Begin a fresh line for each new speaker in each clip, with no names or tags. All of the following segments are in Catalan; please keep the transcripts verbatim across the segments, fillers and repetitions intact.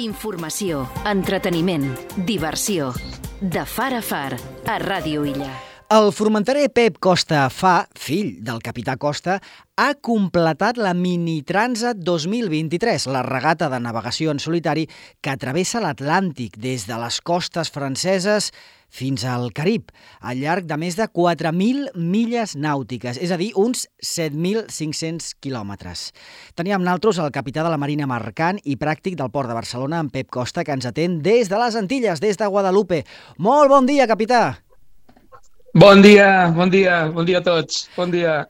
Informació, entreteniment, diversió. De far a far, a Ràdio Illa.
El formenterer Pep Costa Fa, fill del capità Costa, ha completat la Mini Transat dos mil vint-i-tres, la regata de navegació en solitari que travessa l'Atlàntic des de les costes franceses fins al Carib, al llarg de més de quatre mil milles nàutiques, és a dir, uns set mil cinc-cents quilòmetres. Teníem naltros el capità de la Marina Mercant i pràctic del Port de Barcelona, en Pep Costa, que ens atén des de les Antilles, des de Guadalupe. Molt bon dia, capità!
Bon dia, bon dia, bon dia a tots, bon dia.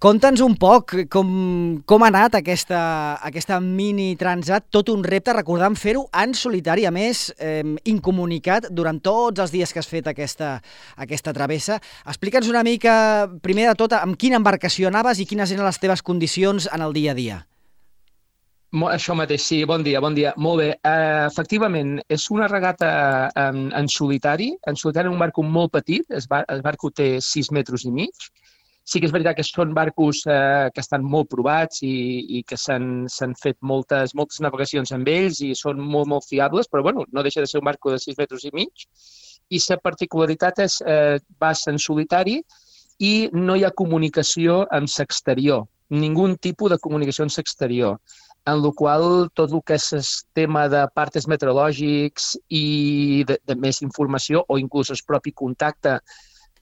Conta'ns un poc com, com ha anat aquesta, aquesta mini transat, tot un repte, recordant fer-ho en solitari, a més, eh, incomunicat durant tots els dies que has fet aquesta, aquesta travessa. Explica'ns una mica, primer de tot, amb quina embarcació anaves i quines eren les teves condicions en el dia a dia.
Això mateix, sí, bon dia, bon dia. Molt bé, uh, efectivament, és una regata en, en solitari, en solitari un barco molt petit, el, bar, el barco té sis metres i mig. Sí que és veritat que són barcos uh, que estan molt provats i, i que s'han fet moltes, moltes navegacions amb ells i són molt, molt fiables, però bueno, no deixa de ser un barco de sis metres i mig. I la particularitat és que uh, vas en solitari i no hi ha comunicació amb l'exterior, ningú tipus de comunicació amb l'exterior. En la qual tot el que és el tema de partes meteorològics i de, de més informació o inclús el propi contacte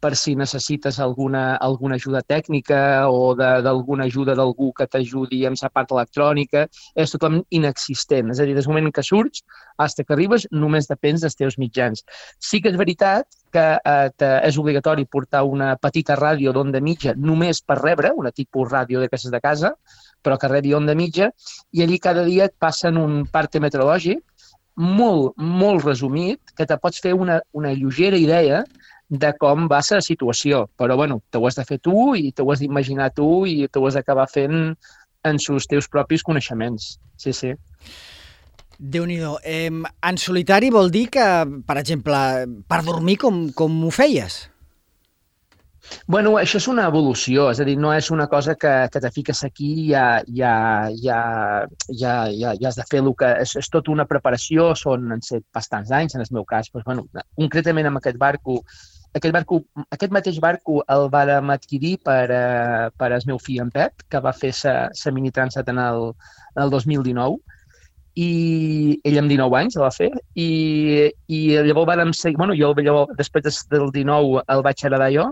per si necessites alguna, alguna ajuda tècnica o d'alguna ajuda d'algú que t'ajudi amb la part electrònica, és totalment inexistent. És a dir, des del moment que surts fins que arribes només depens dels teus mitjans. Sí que és veritat que eh, és obligatori portar una petita ràdio d'onda mitja només per rebre, una tipus ràdio d'aquestes de casa, però que rebi onda mitja, i allí cada dia et passen un parte meteorològic molt, molt resumit, que te pots fer una, una lleugera idea de com va ser la situació. Però, bueno, t'ho has de fer tu i t'ho has d'imaginar tu i t'ho has d'acabar fent en els teus propis coneixements. Sí, sí.
Déu-n'hi-do. Eh, en solitari vol dir que, per exemple, per dormir com, com ho feies?
Bueno, això és una evolució, és a dir, no és una cosa que, que te fiques aquí i ja, ja, ja, ja, ja, ja has de fer el que... És, és tota una preparació, són han set bastants anys, en el meu cas. Doncs, bueno, concretament amb aquest barco, aquest barco, aquest mateix barco el vàrem adquirir per, uh, per el meu fill, en Pep, que va fer la mini transat en el, en el dos mil dinou, i ell amb dinou anys el va fer, i, i llavors vàrem seguir... Bueno, jo llavors, després del dinou el vaig heredar jo,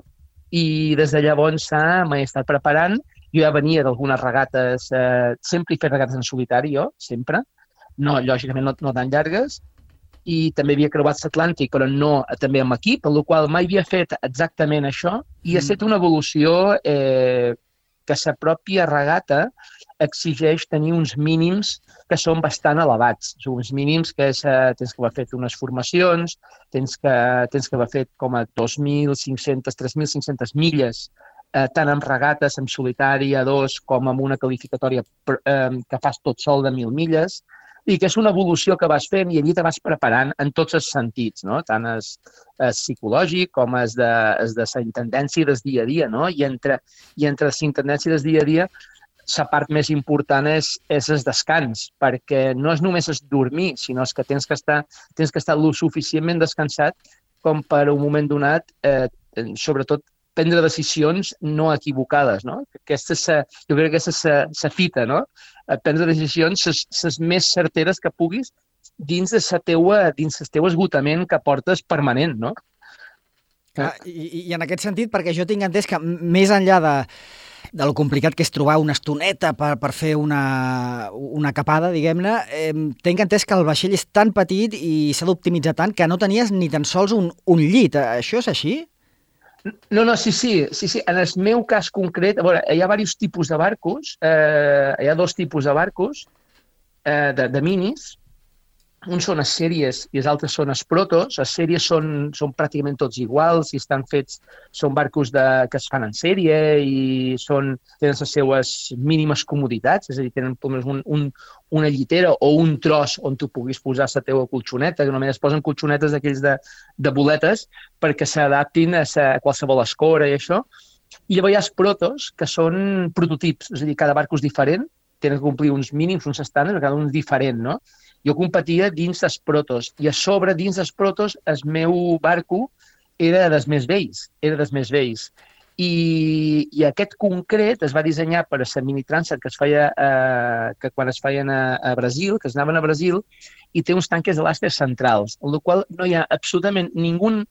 i des de llavors m'he estat preparant. Jo ja venia d'algunes regates, eh, sempre he fet regates en solitari, jo, sempre. No, lògicament, no, no tan llargues. I també havia creuat l'Atlàntic, però no també amb equip, per la qual mai havia fet exactament això. I ha estat una evolució eh, que la pròpia regata exigeix tenir uns mínims que són bastant elevats. Són uns mínims que és, eh, tens que haver fet unes formacions, tens que, tens que haver fet com a dos mil cinc-centes, tres mil cinc-centes milles, eh, tant amb regates, amb solitari, a dos, com amb una qualificatòria eh, que fas tot sol de mil milles, i que és una evolució que vas fent i allí te vas preparant en tots els sentits, no? Tant el psicològic com el de, el de la intendència del dia a dia, no? I entre, i entre la intendència del dia a dia la part més important és, és el descans, perquè no és només el dormir, sinó que tens que estar, tens que estar lo suficientment descansat com per un moment donat, eh, sobretot, prendre decisions no equivocades, no? Aquesta és, jo crec que aquesta és la fita, no? Prendre decisions les més certeres que puguis dins de la teua, dins del teu esgotament que portes permanent, no?
Ah, i, I en aquest sentit, perquè jo tinc entès que més enllà de de lo complicat que és trobar una estoneta per, per fer una, una capada, diguem-ne, eh, tinc entès que el vaixell és tan petit i s'ha d'optimitzar tant que no tenies ni tan sols un, un llit. Això és així?
No, no, sí, sí, sí, sí. En el meu cas concret, a veure, hi ha diversos tipus de barcos, eh, hi ha dos tipus de barcos, eh, de, de minis. Uns són les sèries i els altres són els protos. Les sèries són, són pràcticament tots iguals i estan fets, són barcos de, que es fan en sèrie i són, tenen les seues mínimes comoditats, és a dir, tenen un, un, una llitera o un tros on tu puguis posar la teva colxoneta, que només es posen colxonetes d'aquells de, de boletes perquè s'adaptin a, a qualsevol escora i això. I llavors hi ha els protos, que són prototips, és a dir, cada barco és diferent, tenen que complir uns mínims, uns estàndards, cada un és diferent, no? Jo competia dins dels protos i a sobre, dins dels protos, el meu barco era dels més vells, era dels més vells. I, i aquest concret es va dissenyar per a la mini Transat que es feia eh, que quan es feien a, a Brasil, que es anaven a Brasil, i té uns tanques elàstics centrals, en la qual no hi ha absolutament ninguna,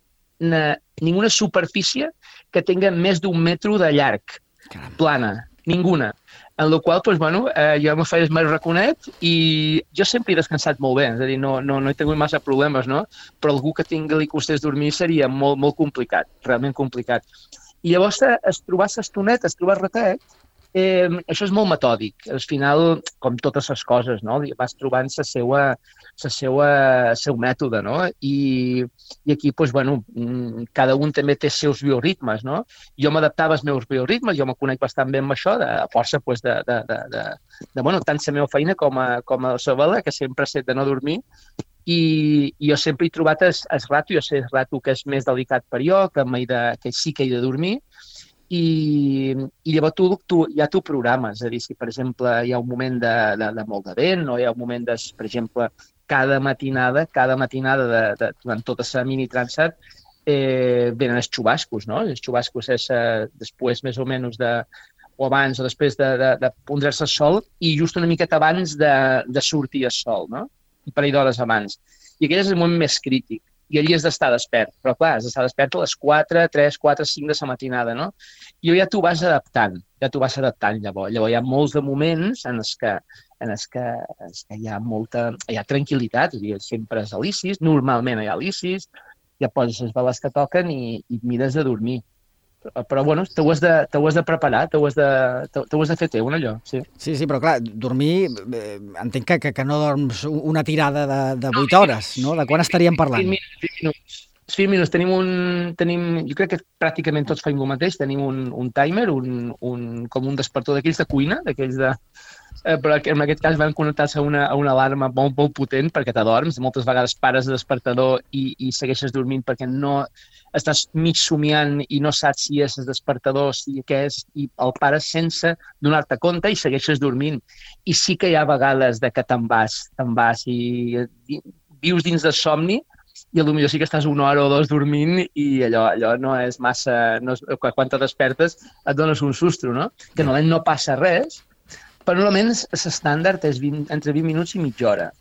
ninguna superfície que tinga més d'un metro de llarg,
Caram.
plana, ninguna. En la qual, doncs, bueno, eh, jo me feia el meu raconet i jo sempre he descansat molt bé, és a dir, no, no, no he tingut massa problemes, no? Però algú que tingui li costés dormir seria molt, molt complicat, realment complicat. I llavors, es trobar l'estoneta, es trobar ratet, eh, això és molt metòdic. Al final, com totes les coses, no? Vas trobant la seva, la seva, el seu mètode, no? I, i aquí, doncs, bueno, cada un també té els seus bioritmes, no? Jo m'adaptava als meus bioritmes, jo me conec bastant bé amb això, de, a força, doncs, de, de, de, de, de, bueno, tant la meva feina com a, com a la seva, que sempre he set de no dormir. I, i jo sempre he trobat el, el rato, jo sé el rato que és més delicat per jo, que, de, que sí que he de dormir, i, i llavors tu, tu, ja t'ho programes, és a dir, si per exemple hi ha un moment de, de, de molt de vent o hi ha un moment de, per exemple, cada matinada, cada matinada de, de, durant tota la mini Transat eh, venen els xubascos, no? Els xubascos és eh, després més o menys de o abans o després de, de, de pondre-se el sol i just una miqueta abans de, de sortir el sol, no? Un parell d'hores abans. I aquell és el moment més crític. I allí has d'estar despert. Però, clar, has d'estar despert a les quatre, tres, quatre, cinc de la matinada, no? I ja t'ho vas adaptant. Ja t'ho vas adaptant, llavors. Llavors hi ha molts de moments en els que, en els que, en els que hi ha molta... Hi ha tranquil·litat, és a dir, sempre és alicis, normalment hi ha alicis, ja poses les veles que toquen i, i mires de dormir. Però, bueno, t'ho has, has de preparar, t'ho has, has de fer teu, allò, sí.
Sí, sí, però clar, dormir, eh, entenc que, que, que no dorms una tirada de, de vuit hores, no? De quan estaríem parlant?
vint minuts. vint minuts. Tenim un... Tenim, jo crec que pràcticament tots fem el mateix. Tenim un, un timer, un, un, com un despertador d'aquells de cuina, d'aquells de... Eh, però en aquest cas van connectar-se a una, a una alarma molt, molt potent perquè t'adorms. Moltes vegades pares el despertador i, i segueixes dormint perquè no estàs mig somiant i no saps si és el despertador, si què és, i el pares sense donar-te compte i segueixes dormint. I sí que hi ha vegades de que te'n vas, te'n vas i, i vius dins del somni i potser sí que estàs una hora o dos dormint i allò, allò no és massa... No és, quan te despertes et dones un sustro, no? Que normalment no passa res, però normalment l'estàndard és vint, entre vint minuts i mitja hora.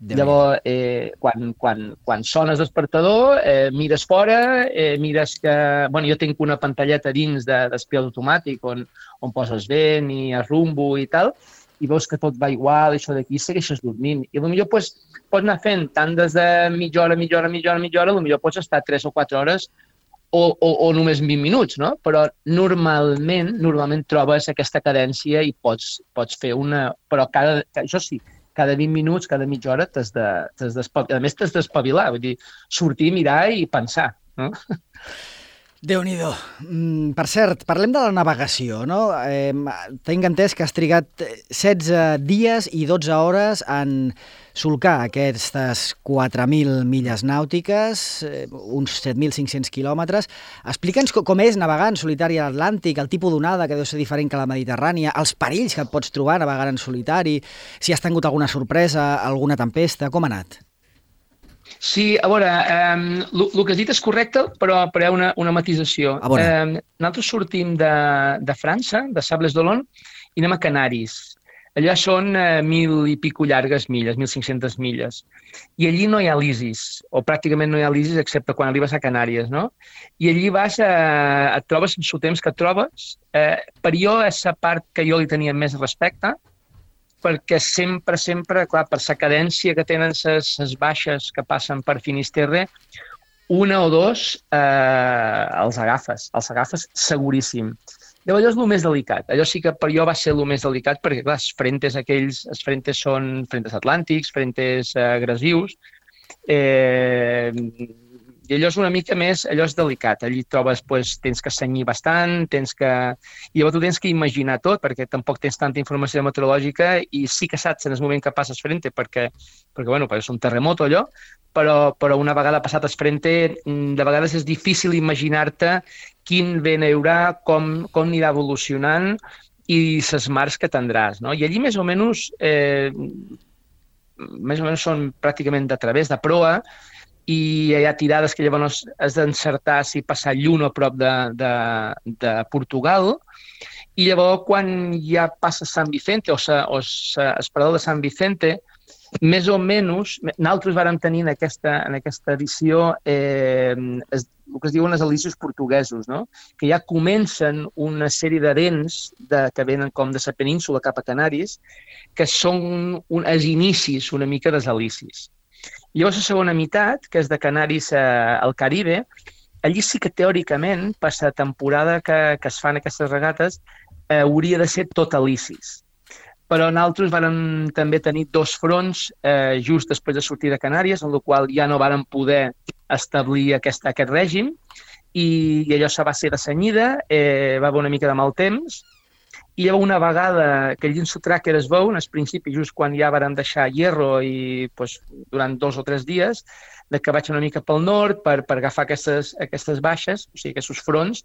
Llavors, eh, quan, quan, quan sona el despertador, eh, mires fora, eh, mires que... Bueno, jo tinc una pantalleta dins de, d'espial automàtic on, on poses vent i el rumbo i tal, i veus que tot va igual, això d'aquí, segueixes dormint. I potser pues, pots anar fent tant des de mitja hora, mitja hora, mitja hora, mitja hora, potser pots estar tres o quatre hores o, o, o només vint minuts, no? Però normalment, normalment trobes aquesta cadència i pots, pots fer una... Però cada... Això sí, cada vint minuts, cada mitja hora t'has de, t'has d'espavilar. A més, t'has d'espavilar, vull dir, sortir, mirar i pensar, no?
Déu-n'hi-do. Mm, per cert, parlem de la navegació, no? Eh, tinc entès que has trigat setze dies i dotze hores en solcar aquestes quatre mil milles nàutiques, eh, uns set mil cinc-cents quilòmetres. Explica'ns com és navegar en solitari a l'Atlàntic, el tipus d'onada que deu ser diferent que la Mediterrània, els perills que et pots trobar navegant en solitari, si has tingut alguna sorpresa, alguna tempesta, com ha anat?
Sí, a veure, eh, el que has dit és correcte, però, però hi ha una, una matisació. Eh, nosaltres sortim de, de França, de Sables d'Olonne, i anem a Canaris. Allà són eh, mil i pico llargues milles, mil cinc-centes milles. I allí no hi ha lisis, o pràcticament no hi ha lisis, excepte quan arribes a Canàries, no? I allí vas, eh, et trobes amb el temps que et trobes. Eh, per jo és la part que jo li tenia més respecte, perquè sempre, sempre, clar, per la cadència que tenen les baixes que passen per Finisterre, una o dos eh, els agafes, els agafes seguríssim. Llavors, allò és el més delicat. Allò sí que per jo va ser el més delicat, perquè, clar, els frentes aquells, els frentes són frentes atlàntics, frentes eh, agressius, eh, i allò és una mica més, allò és delicat. Allí trobes, doncs, tens que senyir bastant, tens que... I llavors tu tens que imaginar tot, perquè tampoc tens tanta informació meteorològica i sí que saps en el moment que passes frente, perquè, perquè bueno, és un terremoto allò, però, però una vegada passat el frente, de vegades és difícil imaginar-te quin vent hi haurà, com, com anirà evolucionant i les mars que tindràs, no? I allí més o menys... Eh, més o menys són pràcticament de través, de proa, i hi ha tirades que llavors has d'encertar si passar lluna a prop de, de, de Portugal, i llavors quan ja passa Sant Vicente o, sa, o sa, el parador de Sant Vicente, més o menys, nosaltres vàrem tenir en aquesta, en aquesta edició eh, es, el que es diuen els alicis portuguesos, no? Que ja comencen una sèrie de dents de, que venen com de la península cap a Canàries, que són un, els inicis una mica dels alicis. I llavors la segona meitat, que és de Canàries a, al Caribe, allí sí que teòricament, per la temporada que, que es fan aquestes regates, eh, hauria de ser tot alicis. Però nosaltres vàrem també tenir dos fronts eh, just després de sortir de Canàries, en el qual ja no vàrem poder establir aquest, aquest règim, i, i allò se va ser de senyida, eh, va haver una mica de mal temps, i llavors una vegada que el llinço tracker es veu, en el principi, just quan ja vàrem deixar Hierro i pues, durant dos o tres dies, de que vaig una mica pel nord per, per agafar aquestes, aquestes baixes, o sigui, aquests fronts,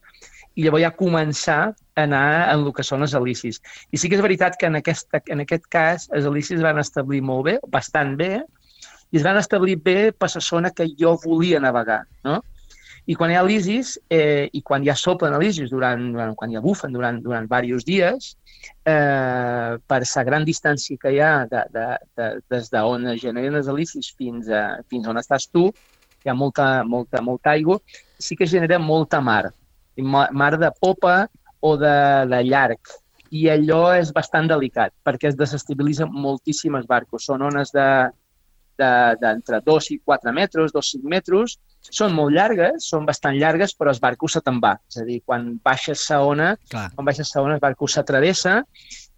i llavors ja començar a anar en el que són els alicis. I sí que és veritat que en aquest, en aquest cas els alicis van establir molt bé, bastant bé, i es van establir bé per la zona que jo volia navegar, no? I quan hi ha alicis, eh, i quan ja soplen alicis, durant, durant, quan ja bufen durant, durant diversos dies, eh, per la gran distància que hi ha de, de, de, des d'on es generen els alicis fins, a, fins on estàs tu, hi ha molta, molta, molta aigua, sí que genera molta mar, mar de popa o de, de llarg. I allò és bastant delicat, perquè es desestabilitzen moltíssimes barcos. Són ones de d'entre dos i quatre metres, dos i cinc metres, són molt llargues, són bastant llargues, però el barco se te'n va. És a dir, quan baixes la ona, Clar. quan baixes la ona, el barco s'atravessa,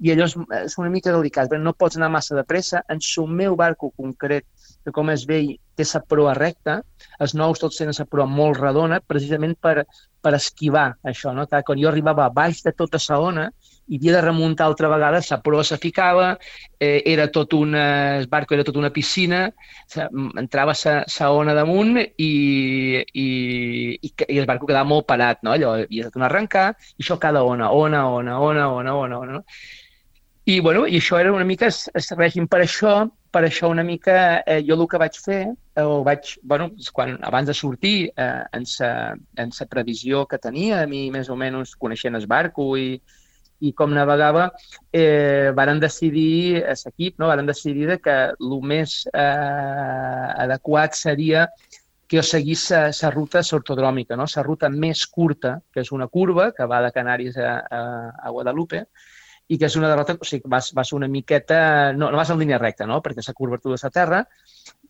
i allò és, és una mica delicat. No pots anar massa de pressa. En el meu barco concret, que com es veu, té la proa recta, els nous tots tenen la proa molt redona, precisament per, per esquivar això, no? Quan jo arribava a baix de tota la ona, i havia de remuntar altra vegada, la proa se ficava, eh, era tot una, el barco era tota una piscina, entrava la ona damunt i, i, i, i el barco quedava molt parat, no? Allò havia de tornar a arrencar, i això cada ona, ona, ona, ona, ona, ona, ona, no? I, bueno, i això era una mica el règim. Per això, per això una mica, eh, jo el que vaig fer, eh, o vaig, bueno, quan, abans de sortir, eh, en la previsió que tenia, a mi més o menys coneixent el barco i, i com navegava, eh, varen decidir, l'equip, no? varen decidir que el més eh, adequat seria que jo seguís la ruta ortodròmica, no? La ruta més curta, que és una curva que va de Canàries a, a, a Guadalupe, i que és una derrota, o sigui, vas, vas una miqueta, no, no vas en línia recta, no? Perquè és la curvatura de la Terra,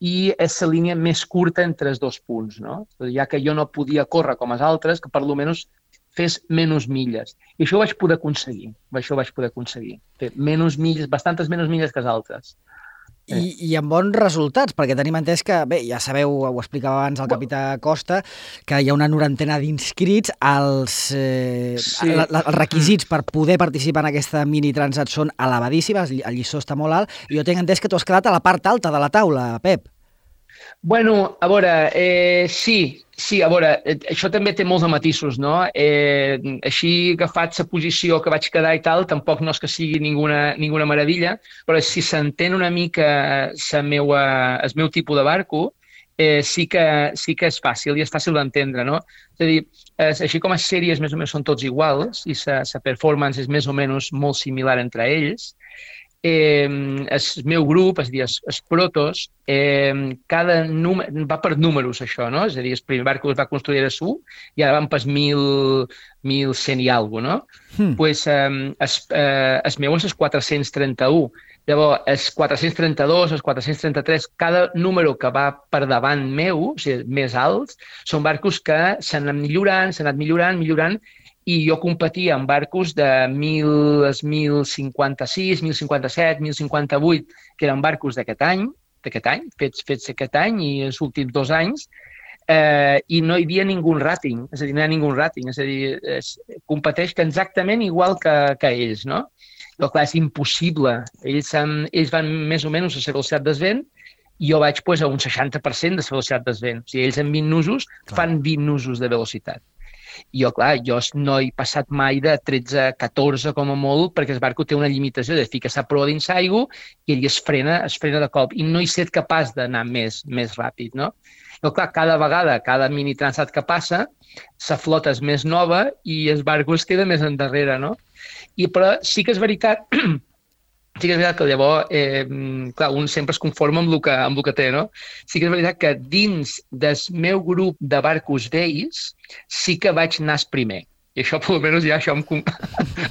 i és la línia més curta entre els dos punts, no? Ja que jo no podia córrer com els altres, que per almenys fes menys milles. I això ho vaig poder aconseguir, això ho vaig poder aconseguir, fer menys milles, bastantes menys milles que els altres.
I, I amb bons resultats, perquè tenim entès que, bé, ja sabeu, ho explicava abans el capità Costa, que hi ha una norantena d'inscrits, els, eh, sí. la, la, els requisits per poder participar en aquesta mini transat són elevadíssimes, el lliçó està molt alt, i jo tinc entès que tu has quedat a la part alta de la taula, Pep.
Bueno, a veure, eh, sí, sí, a veure, eh, això també té molts de matisos, no? Eh, així agafat la posició que vaig quedar i tal, tampoc no és que sigui ninguna, ninguna meravella, però si s'entén una mica la meua, el meu tipus de barco, eh, sí, que, sí que és fàcil i és fàcil d'entendre, no? És a dir, eh, així com les sèries més o menys són tots iguals i la performance és més o menys molt similar entre ells, Eh, el meu grup, és a dir, els, els protos, eh, cada número, va per números això, no? És a dir, el primer barco es va construir a su i ara van per mil, mil cent i alguna cosa, no? Hmm. Pues, eh, es, eh, el meu és el quatre-cents trenta-u. Llavors, els quatre-cents trenta-dos, els quatre-cents trenta-tres, cada número que va per davant meu, o sigui, més alts, són barcos que s'han anat millorant, s'han anat millorant, millorant, i jo competia amb barcos de mil cinquanta-sis, mil cinquanta-set, mil cinquanta-vuit, que eren barcos d'aquest any, d'aquest any, fets, fets aquest any i els últims dos anys, eh, i no hi havia ningú rating, és a dir, no hi ha ningú rating, és a dir, es, competeix exactament igual que, que ells, no? Però clar, és impossible. Ells, han, ells van més o menys a la velocitat del vent i jo vaig pues, a un seixanta per cent de la velocitat del vent. O sigui, ells en vint nusos fan vint nusos de velocitat. I jo, clar, jo no he passat mai de tretze a catorze com a molt, perquè el barco té una limitació de ficar la proa dins l'aigua i ell es frena, es frena de cop. I no he estat capaç d'anar més, més ràpid, no? Però, clar, cada vegada, cada mini transat que passa, la flota és més nova i el barco es queda més endarrere, no? I, però sí que és veritat... Sí que és veritat que llavors, eh, clar, un sempre es conforma amb el, que, amb el que té, no? Sí que és veritat que dins del meu grup de barcos vells sí que vaig anar primer. I això, per almenys, ja això em,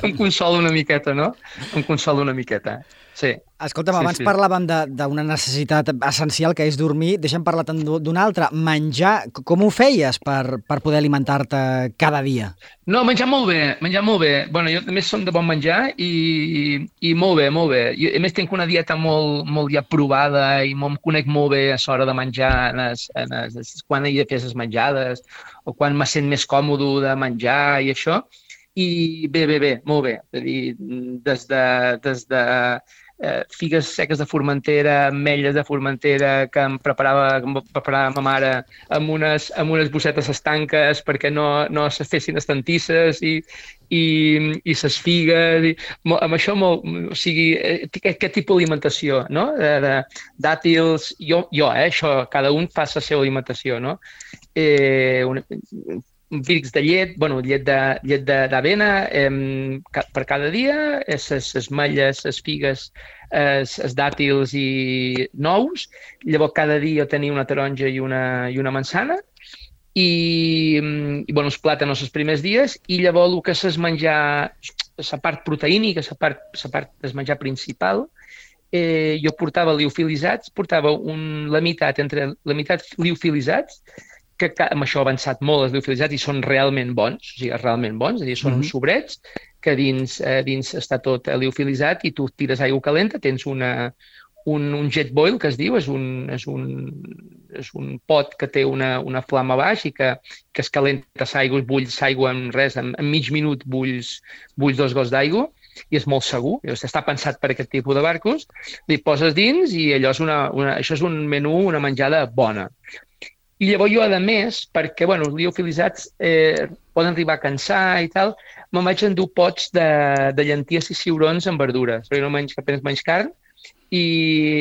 em consola una miqueta, no? Em consola una miqueta, sí.
Escolta'm,
sí,
abans
sí.
parlàvem d'una necessitat essencial que és dormir. Deixa'm parlar d'una altra. Menjar, com ho feies per, per poder alimentar-te cada dia?
No, menjar molt bé, menjar molt bé. Bueno, jo també som de bon menjar i, i molt bé, molt bé. Jo, a més, tinc una dieta molt, molt ja provada i em conec molt bé a l'hora de menjar, en es, en es, quan he de fer les menjades o quan me sent més còmode de menjar i això. I bé, bé, bé, molt bé. És a dir, des de... Des de Eh, figues seques de Formentera, ametlles de Formentera que em preparava, que em preparava ma mare amb unes, amb unes bossetes estanques perquè no, no se fessin estantisses i, i, i ses figues. I, amb això, molt, o sigui, aquest, aquest tipus d'alimentació, no? De, de dàtils, jo, jo eh, això, cada un fa la seva alimentació, no? Eh, una, Vircs de llet, bueno, llet d'avena eh, per cada dia, les malles, les figues, els dàtils i nous. Llavors, cada dia tenia una taronja i una, i una manzana. I, i bueno, els plàtanos els primers dies. I llavors, el que és menjar, la part proteínica, la part, la part del menjar principal, eh, jo portava liofilitzats, portava un, la meitat entre la meitat liofilitzats, que amb això ha avançat molt els liofilitzats i són realment bons, o sigui, realment bons, és a dir, són mm-hmm. uns sobrets que dins, eh, dins està tot liofilitzat i tu tires aigua calenta, tens una, un, un jet boil, que es diu, és un, és un, és un pot que té una, una flama baix i que, que es calenta l'aigua, bulls l'aigua en res, en, en mig minut bulls, bulls dos gots d'aigua i és molt segur, està pensat per aquest tipus de barcos, li poses dins i allò és una, una, això és un menú, una menjada bona. I llavors jo, a més, perquè bueno, els liofilitzats eh, poden arribar a cansar i tal, me'n vaig endur pots de, de llenties i ciurons amb verdures, perquè no menys, apenas menys carn, i,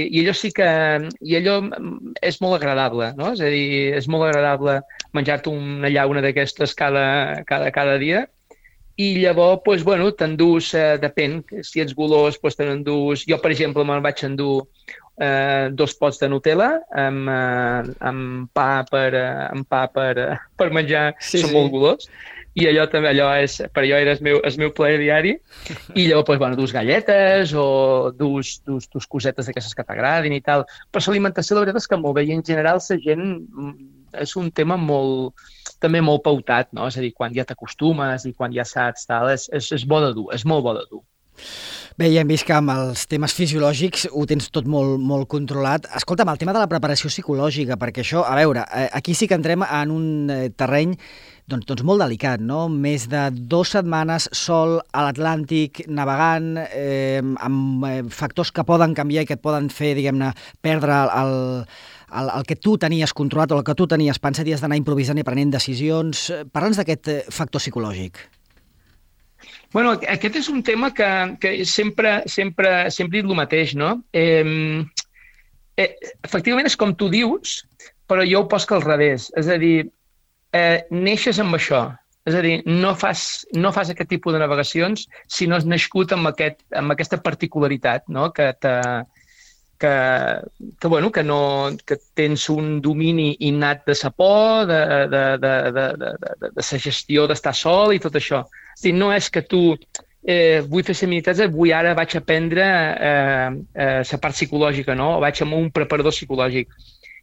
i allò sí que i allò és molt agradable, no? És a dir, és molt agradable menjar-te una llauna d'aquestes cada, cada, cada dia. I llavors, doncs, bueno, t'endús, eh, depèn, si ets golós, doncs te n'endús. Jo, per exemple, me'n vaig endur eh, dos pots de Nutella amb, eh, amb pa per, eh, amb pa per, eh, per menjar, sí, són sí. molt golós. I allò també, allò és, per allò era el meu, el meu plaer diari. I llavors, doncs, bueno, dus galletes o dus, dus, dus cosetes d'aquestes que t'agradin i tal. Però l'alimentació, la veritat és que molt bé. I en general, la gent és un tema molt, també molt pautat, no? És a dir, quan ja t'acostumes i quan ja saps, tal, és, és, és bo de dur, és molt bo de dur.
Bé, ja hem vist que amb els temes fisiològics ho tens tot molt, molt controlat. Escolta'm, el tema de la preparació psicològica, perquè això, a veure, aquí sí que entrem en un terreny doncs, doncs molt delicat, no? Més de dues setmanes sol a l'Atlàntic, navegant, eh, amb factors que poden canviar i que et poden fer, diguem-ne, perdre el, el, el que tu tenies controlat o el que tu tenies pensat i has d'anar improvisant i prenent decisions. Parla'ns d'aquest factor psicològic.
Bueno, aquest és un tema que, que sempre, sempre, sempre he dit el mateix, no? Eh, eh, efectivament és com tu dius, però jo ho poso al revés. És a dir, eh, neixes amb això. És a dir, no fas, no fas aquest tipus de navegacions si no has nascut amb, aquest, amb aquesta particularitat, no? Que, te, que, que, bueno, que, no, que tens un domini innat de sa por, de, de, de, de, de, de, de sa gestió d'estar sol i tot això. És dir, no és que tu eh, vull fer seminitats, vull ara vaig aprendre eh, eh, la part psicològica, no? O vaig amb un preparador psicològic.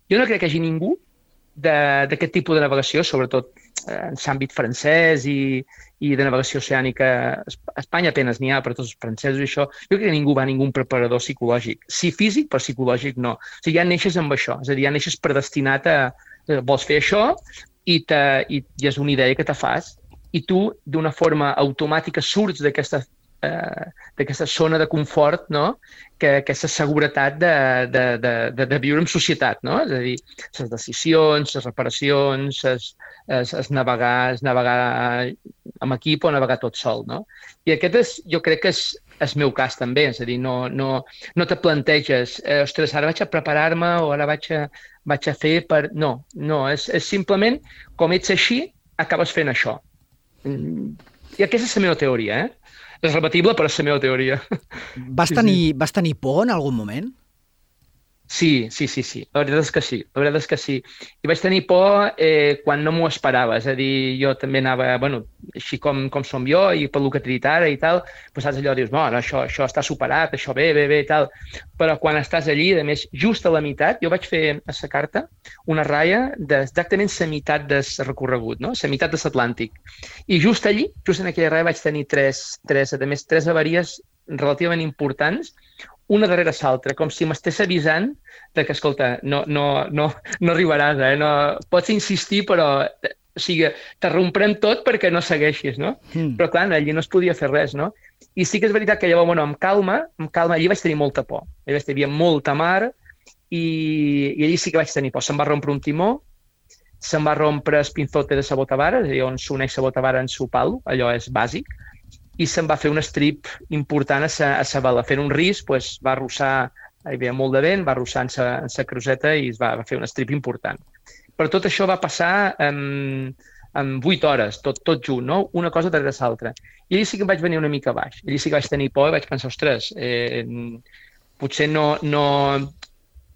Jo no crec que hi hagi ningú d'aquest tipus de navegació, sobretot en l'àmbit francès i, i de navegació oceànica. A Espanya apenas n'hi ha per tots els francesos i això. Jo crec que ningú va a ningú preparador psicològic. Sí físic, però psicològic no. O sigui, ja neixes amb això. És a dir, ja neixes predestinat a... Vols fer això i, te, i, i és una idea que te fas i tu, d'una forma automàtica, surts d'aquesta eh, d'aquesta zona de confort, no? Que aquesta seguretat de, de, de, de, de viure en societat, no? És a dir, les decisions, les reparacions, es, es, es navegar, es navegar amb equip o navegar tot sol, no? I aquest és, jo crec que és el meu cas també, és a dir, no, no, no te planteges, eh, ostres, ara vaig a preparar-me o ara vaig a, vaig a fer per... No, no, és, és simplement, com ets així, acabes fent això. I aquesta és la meva teoria, eh? És repetible, però és la meva teoria.
Vas tenir, vas tenir por en algun moment?
Sí, sí, sí, sí. La veritat és que sí. La veritat és que sí. I vaig tenir por eh, quan no m'ho esperava. És a dir, jo també anava, bueno, així com, com som jo i pel que t'he dit ara i tal, doncs saps allò, dius, no, no, això, això està superat, això bé, bé, bé i tal. Però quan estàs allí, a més, just a la meitat, jo vaig fer a la carta una ratlla d'exactament la meitat del recorregut, no? La meitat de l'Atlàntic. I just allí, just en aquella ratlla, vaig tenir tres, tres, a més, tres avaries relativament importants, una darrere l'altra, com si m'estés avisant de que, escolta, no, no, no, no arribaràs, eh? No, pots insistir, però o sigui, t'arromprem tot perquè no segueixis, no? Mm. Però, clar, allí no es podia fer res, no? I sí que és veritat que llavors, bueno, amb calma, amb calma, allí vaig tenir molta por. Allí vaig tenir molta mar i, i allí sí que vaig tenir por. Se'm va rompre un timó, se'm va rompre el pinzote de la botavara, és a dir, on s'uneix la botavara en su palo, allò és bàsic, i se'n va fer un strip important a sa, a sa vela. Fent un risc, pues, va arrossar, hi havia molt de vent, va arrossar en sa, en sa cruseta i es va, va fer un strip important. Però tot això va passar en, en vuit hores, tot, tot junt, no? Una cosa darrere l'altra. I allí sí que em vaig venir una mica baix. Allí sí que vaig tenir por i vaig pensar, ostres, eh, potser no, no,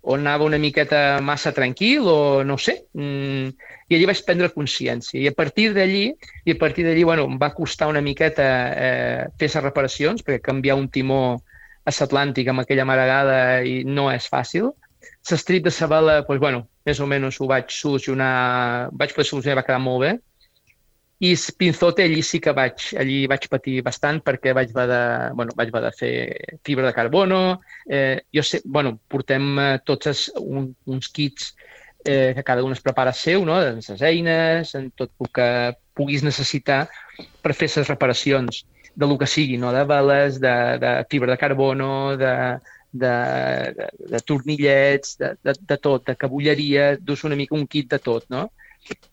o anava una miqueta massa tranquil o no sé. Mm, I allí vaig prendre consciència. I a partir d'allí, i a partir d'allí, bueno, em va costar una miqueta eh, fer les reparacions, perquè canviar un timó a l'Atlàntic amb aquella maragada i no és fàcil. L'estrip de la vela, doncs, bueno, més o menys ho vaig solucionar, vaig poder solucionar, va quedar molt bé. I el pinzote allí sí que vaig, allí vaig patir bastant perquè vaig haver de, bueno, vaig haver de fer fibra de carbono. Eh, jo sé, bueno, portem eh, tots els, un, uns kits eh, que cada un es prepara seu, no? De les eines, en tot el que puguis necessitar per fer les reparacions de lo que sigui, no? De veles, de, de fibra de carbono, de, de, de, de tornillets, de, de, de tot, de cabulleria, dus una mica un kit de tot, no?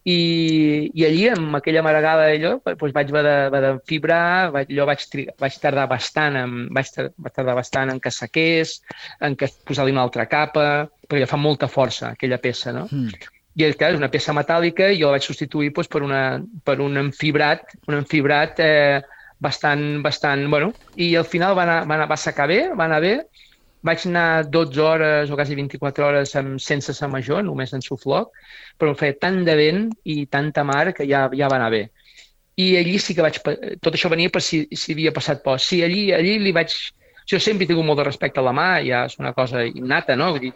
I, i allí, amb aquella maragada allò, doncs vaig haver de, haver de fibrar, vaig, allò vaig, trigar, vaig tardar bastant en, vaig, vaig tardar bastant en que sequés, en que posar-li una altra capa, perquè fa molta força aquella peça, no? Mm. I clar, és una peça metàl·lica i jo la vaig substituir doncs, per, una, per un enfibrat, un enfibrat eh, bastant, bastant, bueno, i al final va, anar, va, anar, va secar bé, va anar bé. Vaig anar dotze hores o quasi vint-i-quatre hores amb, sense sa major, només en sufloc, però em feia tant de vent i tanta mar que ja, ja va anar bé. I allí sí que vaig... Tot això venia per si, si havia passat por. Sí, allí, allí li vaig... Jo sempre he tingut molt de respecte a la mà, ja és una cosa innata, no? Vull dir,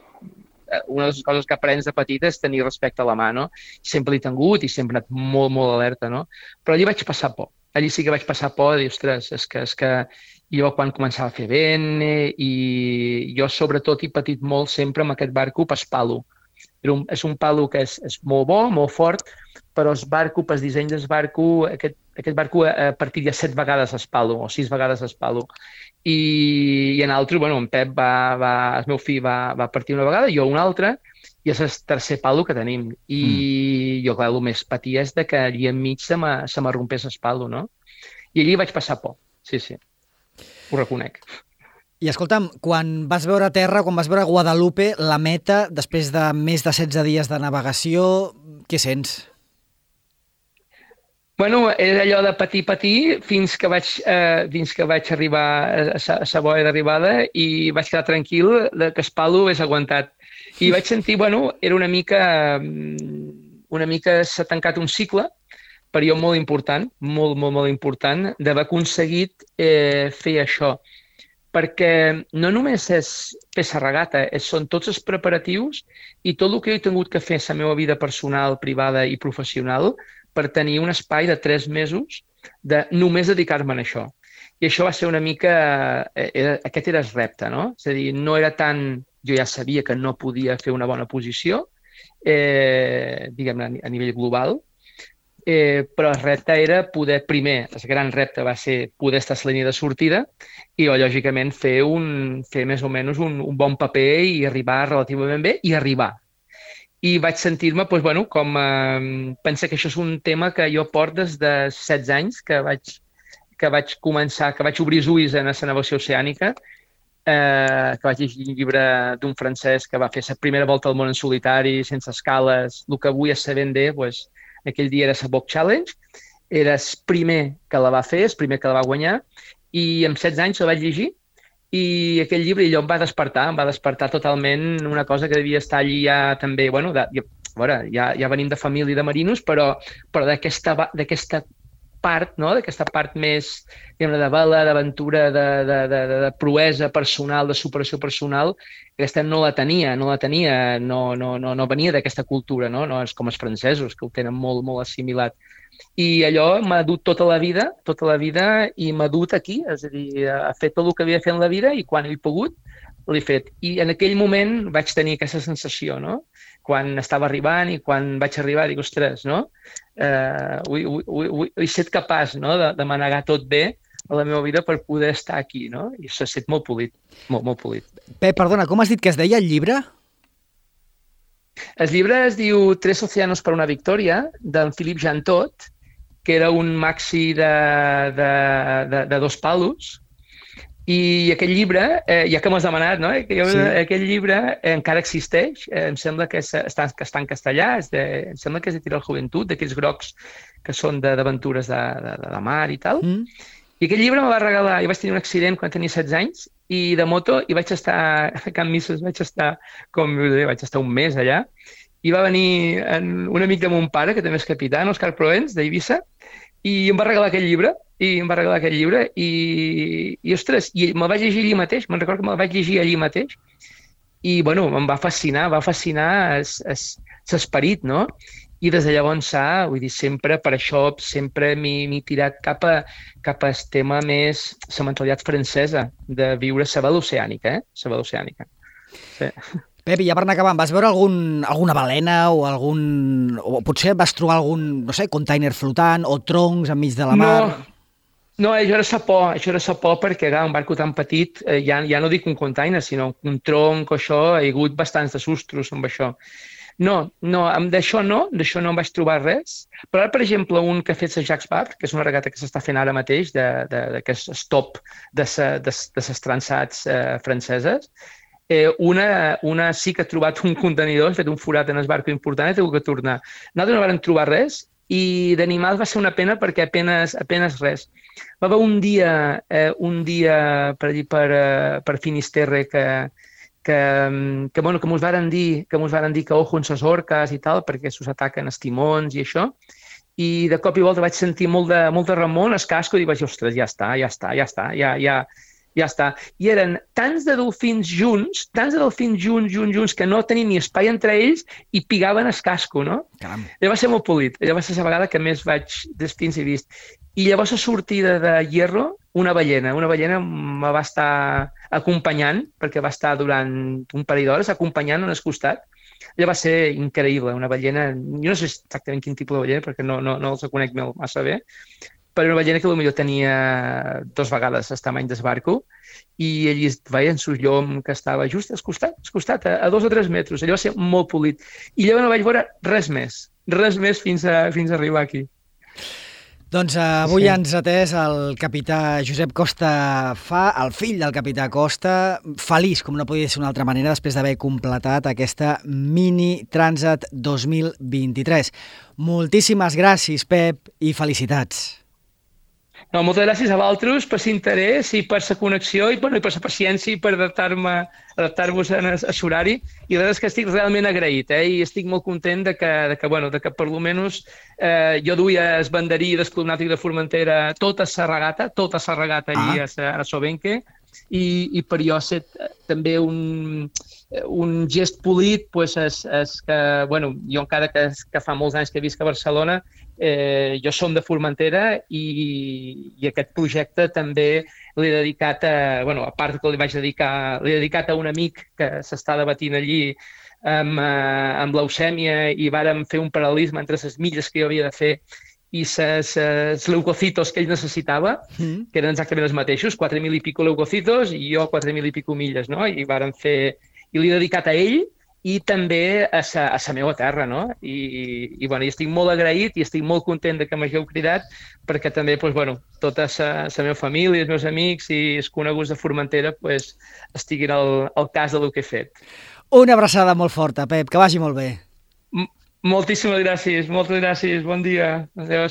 una de les coses que aprens de petita és tenir respecte a la mà, no? Sempre l'he tingut i sempre he anat molt, molt alerta, no? Però allí vaig passar por. Allí sí que vaig passar por de dir, ostres, és que, és que jo quan començava a fer vent i jo sobretot he patit molt sempre amb aquest barco pas palo. Un, és un palo que és, és molt bo, molt fort, però el barco, el disseny del barco, aquest, aquest barco a partir de set vegades es palo, o sis vegades es palo. I, i en altre, bueno, en Pep va, va, el meu fill va, va partir una vegada, jo una altra, i és el tercer palo que tenim. I mm. jo, clar, el més patia és de que allí enmig se m'arrompés el palo, no? I allí vaig passar por, sí, sí. Ho reconec.
I escolta'm, quan vas veure terra, quan vas veure Guadalupe, la meta, després de més de setze dies de navegació, què sents?
Bueno, és allò de patir, patir, fins que vaig, eh, fins que vaig arribar a la boia d'arribada i vaig quedar tranquil que el palo és aguantat. I vaig sentir, bueno, era una mica, una mica s'ha tancat un cicle, per jo molt important, molt, molt, molt important, d'haver aconseguit eh, fer això. Perquè no només és fer la regata, és, són tots els preparatius i tot el que he tingut que fer a la meva vida personal, privada i professional per tenir un espai de tres mesos de només dedicar-me a això. I això va ser una mica... Eh, aquest era el repte, no? És a dir, no era tant... Jo ja sabia que no podia fer una bona posició, eh, diguem-ne, a nivell global, Eh, però el repte era poder, primer, el gran repte va ser poder estar a la línia de sortida i, lògicament, fer, un, fer més o menys un, un bon paper i arribar relativament bé i arribar. I vaig sentir-me, doncs, bueno, com... Eh, pensa que això és un tema que jo porto des de setze anys, que vaig, que vaig començar, que vaig obrir els ulls en la navegació oceànica, eh, que vaig llegir un llibre d'un francès que va fer la primera volta al món en solitari, sense escales, el que avui és sabent bé, doncs, aquell dia era la Bob Challenge, era el primer que la va fer, el primer que la va guanyar, i amb setze anys la vaig llegir, i aquell llibre allò em va despertar, em va despertar totalment una cosa que devia estar allí ja també, bueno, de, ja, veure, ja, ja venim de família de marinos, però, però d'aquesta d'aquesta part, no? D'aquesta part més diguem, de vela, d'aventura, de, de, de, de proesa personal, de superació personal, aquesta no la tenia, no la tenia, no, no, no, no venia d'aquesta cultura, no? No és com els francesos, que ho tenen molt, molt assimilat. I allò m'ha dut tota la vida, tota la vida, i m'ha dut aquí, és a dir, a fer tot el que havia fet en la vida i quan he pogut l'he fet. I en aquell moment vaig tenir aquesta sensació, no? Quan estava arribant i quan vaig arribar dic, ostres, no? Eh, ui, ui, ui, he estat capaç, no? de, de manegar tot bé a la meva vida per poder estar aquí, no? I s'ha estat molt polit, molt, molt polit.
Pep, perdona, com has dit que es deia el llibre?
El llibre es diu Tres océanos per una victòria, d'en Philippe Jantot, que era un maxi de, de, de, de dos palos. I aquest llibre, eh, ja que m'has demanat, no? que jo, sí. Aquest llibre eh, encara existeix, eh, em sembla que, és, està, que està en castellà, és de, em sembla que és de Tirar el Joventut, d'aquells grocs que són d'aventures de, de, de la mar i tal. Mm. I aquest llibre me va regalar, jo vaig tenir un accident quan tenia setze anys, i de moto, i vaig estar a Can Misses, vaig estar, com vaig estar un mes allà, i va venir en, un amic de mon pare, que també és capità, Òscar Proens, d'Eivissa, i em va regalar aquest llibre, i em va regalar aquest llibre, i, i ostres, i me'l vaig llegir allí mateix, me'n recordo que me'l vaig llegir allí mateix, i, bueno, em va fascinar, va fascinar l'esperit, no? I des de llavors, vull dir, sempre, per això, sempre m'he tirat cap a, cap al tema més, la mentalitat francesa, de viure la vela oceànica, eh? La vela oceànica. Sí.
Pep, i ja per anar acabant, vas veure algun, alguna balena o algun... o potser vas trobar algun, no sé, container flotant o troncs enmig de la mar?
No, no això era sa por, això era sa por perquè clar, un barco tan petit, eh, ja, ja no dic un container, sinó un tronc o això, hi ha hagut bastants de sustos amb això. No, no, d'això no, d'això no em vaig trobar res, però ara, per exemple, un que ha fet la Jacques Vabre, que és una regata que s'està fent ara mateix, de, de, de, que és stop de les transats eh, franceses, Eh, una, una sí que ha trobat un contenidor, ha fet un forat en el barco important i ha hagut que tornar. Nosaltres no vam trobar res i d'animals va ser una pena perquè apenes, apenes res. Va haver un dia, eh, un dia per, allí, per, uh, per Finisterre que, que, que, bueno, que mos varen dir que mos varen dir que ojo en les orques i tal perquè s'us ataquen els timons i això. I de cop i volta vaig sentir molt de, molt de remor al casco i vaig dir, ostres, ja està, ja està, ja està, ja, ja, ja està. I eren tants de delfins junts, tants de delfins junts, junts, junts, que no tenien ni espai entre ells i pigaven el casco, no? Caram. Allò va ser molt polit. Allò va ser la vegada que més vaig delfins he vist. I llavors a sortida de Hierro, una ballena. Una ballena me va estar acompanyant, perquè va estar durant un parell d'hores acompanyant en el costat. Allò va ser increïble, una ballena... Jo no sé exactament quin tipus de ballena, perquè no, no, no els conec massa bé, però una ballena que potser tenia dos vegades el tamany del barco i allí veien el llom que estava just al costat, al costat a, a dos o tres metres. Allò va ser molt polit. I llavors no vaig veure res més, res més fins a, fins a arribar aquí.
Doncs avui sí. Ens ha atès el capità Josep Costa Fa, el fill del capità Costa, feliç, com no podia ser d'una altra manera, després d'haver completat aquesta Mini Transat dos mil vint-i-tres. Moltíssimes gràcies, Pep, i felicitats.
No, moltes gràcies a vosaltres per l'interès i per la connexió i, bueno, i per la paciència i per adaptar-me, adaptar-vos a l'horari. I la veritat és que estic realment agraït, eh? I estic molt content de que, de que, bueno, de que per almenys eh, jo duia el banderí del Club Nàutic de Formentera tota la regata, tota la regata allí ah. a, a Sobenque, i, i per jo ha estat també un, un gest polit, pues, és, és que, bueno, jo encara que, que fa molts anys que visc a Barcelona, eh, jo som de Formentera i, i aquest projecte també l'he dedicat a, bueno, a part que li vaig dedicar, l'he dedicat a un amic que s'està debatint allí amb, amb leucèmia i vàrem fer un paral·lelisme entre les milles que jo havia de fer i els leucocitos que ell necessitava, mm. que eren exactament els mateixos, quatre mil i pico leucocitos i jo quatre mil i pico milles, no? I varen fer... I l'he dedicat a ell i també a sa, a sa meva terra, no? I, i, bueno, i estic molt agraït i estic molt content de que m'hagueu cridat perquè també, doncs, bueno, tota sa, sa meva família, els meus amics i els coneguts de Formentera pues, estiguin al, al cas del que he fet.
Una abraçada molt forta, Pep, que vagi molt bé.
M- moltíssimes gràcies, moltes gràcies, bon dia, adéu.